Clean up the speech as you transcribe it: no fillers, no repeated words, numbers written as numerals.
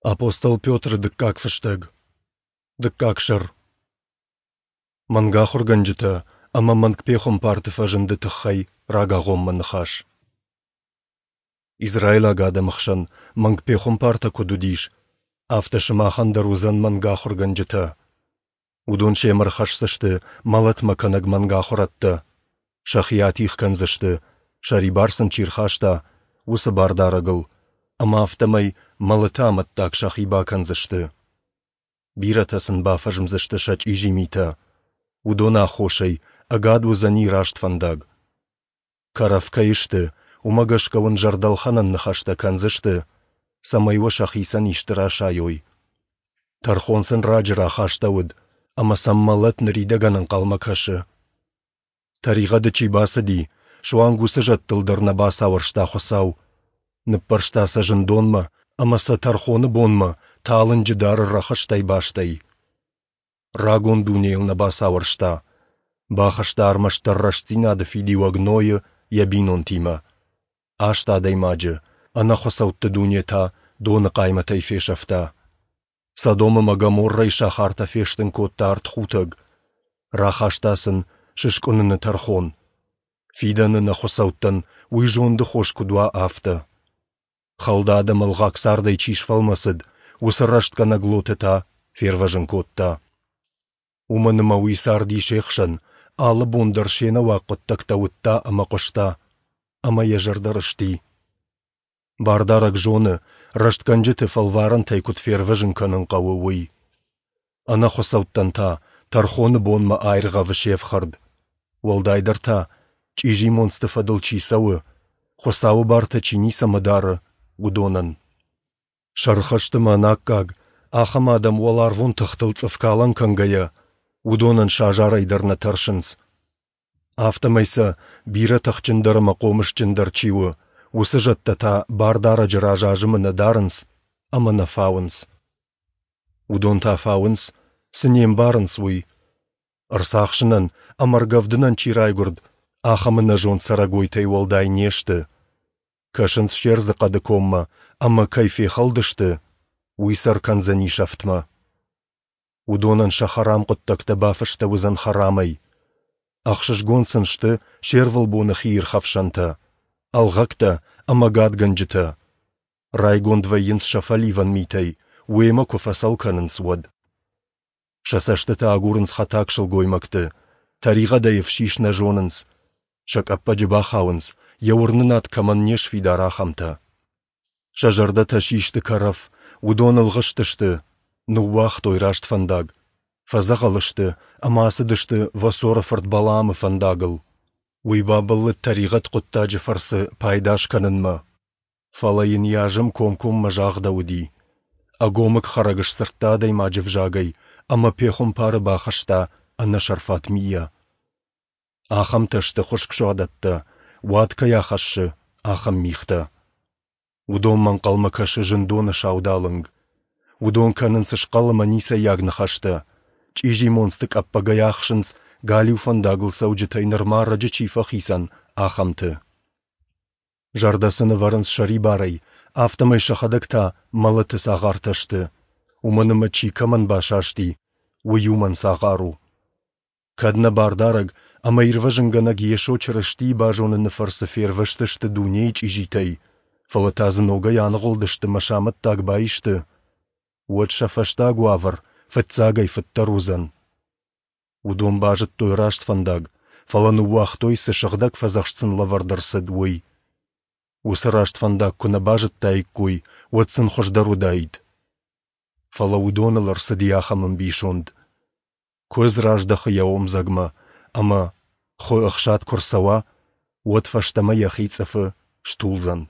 Апостол Петры дыккаг фыстӕг. Дыккаг сӕр. Мӕнгахуыргӕнджытӕ ӕмӕ мӕнгпехуымпарты фӕзынды тыххӕй рагагъоммӕ ныхас. Израилаг адӕмы хсӕн мӕнгпехуымпартӕ куыд уыдис, афтӕ сымахӕн дӕр уыдзӕн мӕнгахуыргӕнджытӕ. Уыдон семӕ рхӕсдзысты мӕлӕтмӕ кӕнӕг мӕнгахуырӕдтӕ, сӕхи атигъ кӕндзысты, сӕрибар сын чи рхаста, уыцы Бардарӕгыл, ӕмӕ афтӕмӕй мӕлӕты амӕттаг сӕхи бакӕндзысты. Бирӕтӕ сын бафӕзмдзысты сӕ чъизи митӕ. Уыдоны аххосӕй ӕгад уыдзӕни раст фӕндаг. Кӕрӕф кӕй сты, уымӕ гӕсгӕ уын зӕрдӕлхӕнӕн ныхӕстӕ кӕндзысты, цӕмӕй уӕ сӕхицӕн исты расайой. Тӕрхон сын раджы рахастӕуыд, ӕмӕ сӕм мӕлӕт ныридӕгӕн ӕнхъӕлмӕ кӕсы. Тӕригъӕды чи бацыди, суанг уыцы зӕдтыл дӕр нӕ бацауӕрста Хуыцау. Ныппӕрста сӕ зындонмӕ ӕмӕ сӕ тӕрхоны бонмӕ талынджы дары рӕхыстӕй бастӕй. Рагон дунейыл нӕ бацауӕрста. Бахаста ӕрмӕстдӕр рӕстдзинады фидиуӕг Нойы йӕ бинонтимӕ. Аст адӕймаджы, ӕнӕхуыцӕутты дуне та доны хъаймӕтӕй фесӕфта. Содом ӕмӕ Гоморрӕйы сахартӕ фестын кодта ӕртхутӕг. Рахаста сын сыскъуыныны тӕрхон. Фидӕны нӕ хуыцӕуттӕн уый зонды хос куыд уа, афтӕ. Хӕлд адӕмы ӕлгъаг цардӕй чи сфӕлмӕцыд, уыцы рӕстгӕнӕг Лоты та фервӕзын кодта. Уымӕн ӕмӕ уый царди се хсӕн, алы бон дӕр се нӕуаг хъуыддӕгтӕ уыдта ӕмӕ хъуыста, ӕмӕ йӕ зӕрдӕ рысти. Бардарӕг зоны, рӕстгӕнджыты фӕлварӕнтӕй куыд фервӕзын кӕнын хъӕуы, уый. Ӕнӕхуыцӕуттӕн та тӕрхоны бонмӕ аиргъӕвы се фхӕрд. Уӕлдайдӕр та, чъизи монцты фӕдыл чи цӕуы, Хуыцауы бартӕ чи ницӕмӕ дары, уыдонӕн. Сӕрхӕсты ӕмӕ ӕнаккаг, ахӕм адӕм уӕларвон тыхтыл цъыфкалӕн кӕнгӕйӕ, уыдонӕн сӕ азарӕй дӕр нӕ тӕрсынц. Афтӕмӕй сӕ, бирӕ тыхджындӕр ӕмӕ хъомысджындӕр чи у, уыцы зӕдтӕ та Бардарӕджы раз азымы нӕ дарынц ӕмӕ нӕ фауынц. Уыдон та фауынц, цы не мбарынц, уый. Ӕрцахсынӕн ӕмӕ ӕргӕвдынӕн чи райгуырд, ахӕм ӕнӕзонд цӕрӕгойтӕй уӕлдай не сты. Кӕсынц се рдзы хъӕды коммӕ ӕмӕ кӕй фехӕлдысты, уый сӕ ӕркӕндзӕни сӕфтмӕ. Уыдонӕн сӕ хӕрам хъуыддӕгтӕ бафыстӕуыдзӕн хӕрамӕй. Ӕхсызгон сын сты се рвылбоны хиирхӕфсӕнтӕ, ӕлгъӕгтӕ ӕмӕ гадгӕнджытӕ. Райгонд вӕййынц сӕ фӕливӕн митӕй, уемӕ куы фӕцӕл кӕнынц, уӕд. Сӕ цӕстытӕ агурынц хӕтаг сылгоймӕгты, тӕригъӕдӕй ӕфсис нӕ зонынц, сӕ къӕппӕджы бахауынц, йӕ уырнынад кӕмӕн не сфидар, ахӕмтӕ. Сӕ зӕрдӕтӕ систы кӕрӕф, уыдон ӕлгъыст сты, ныууагътой раст фӕндаг, фӕдзӕгъӕл сты ӕмӕ ацыдысты Восоры фырт Балаамы фӕндагыл. Уый бабӕллыд тӕригъӕд хъуыддаджы фӕрцы пайда скӕнынмӕ. Фӕлӕ йын йӕ азым комкоммӕ загъдӕуыди. Ӕгомыг хӕрӕг сдзырдта адӕймаджы взагӕй ӕмӕ пехуымпары бахызта ӕнӕсӕрфат мийӕ. Ахӕмтӕ сты хуыскъ суадӕттӕ, уад кӕй ахӕссы, ахӕм мигътӕ. Уыдонмӕ ӕнхъӕлмӕ кӕсы зындоны саудалынг. Уыдон кӕнынц схъӕл ӕмӕ ницӕййаг ныхӕстӕ, чъизи монцты къӕппӕгӕй ахсынц, галиу фӕндагыл цӕуджытӕй нырма ӕрӕджы чи фӕхицӕн, ахӕмты. Зӕрдӕ сын ӕвӕрынц сӕрибарӕй, афтӕмӕй сӕхӕдӕг та мӕлӕты цагъартӕ сты, уымӕн ӕмӕ чи кӕмӕн басасти, уый уымӕн цагъар у. Кӕд нӕ Бардарӕг ӕмӕ Ирвӕзынгӕнӕг Йесо Чырыстийы базоныны фӕрцы фервӕзтысты дунейы чъизитӕй, фӕлӕ та дзы ногӕй аныгъуылдысты мӕ сӕ амӕттаг баисты, уӕд сӕ фӕстаг уавӕр фыццагӕй фыддӕр уыдзӕн. Уыдон базыдтой раст фӕндаг, фӕлӕ ныууагътой, цы сыгъдӕг фӕдзӕхст сын лӕвӕрд ӕрцыд, уый. Уыцы раст фӕндаг куы нӕ базыдтаиккой, уӕд сын хуыздӕр уыдаид. Фӕлӕ уыдоныл ӕрцыди ахӕм ӕмбисонд. Куыдз раздӕхы йӕ омдзӕгмӕ, ӕмӕ, хуы ӕхсад куы рцӕуа, уӕд фӕстӕмӕ йӕхи цъыфы стулдзӕн.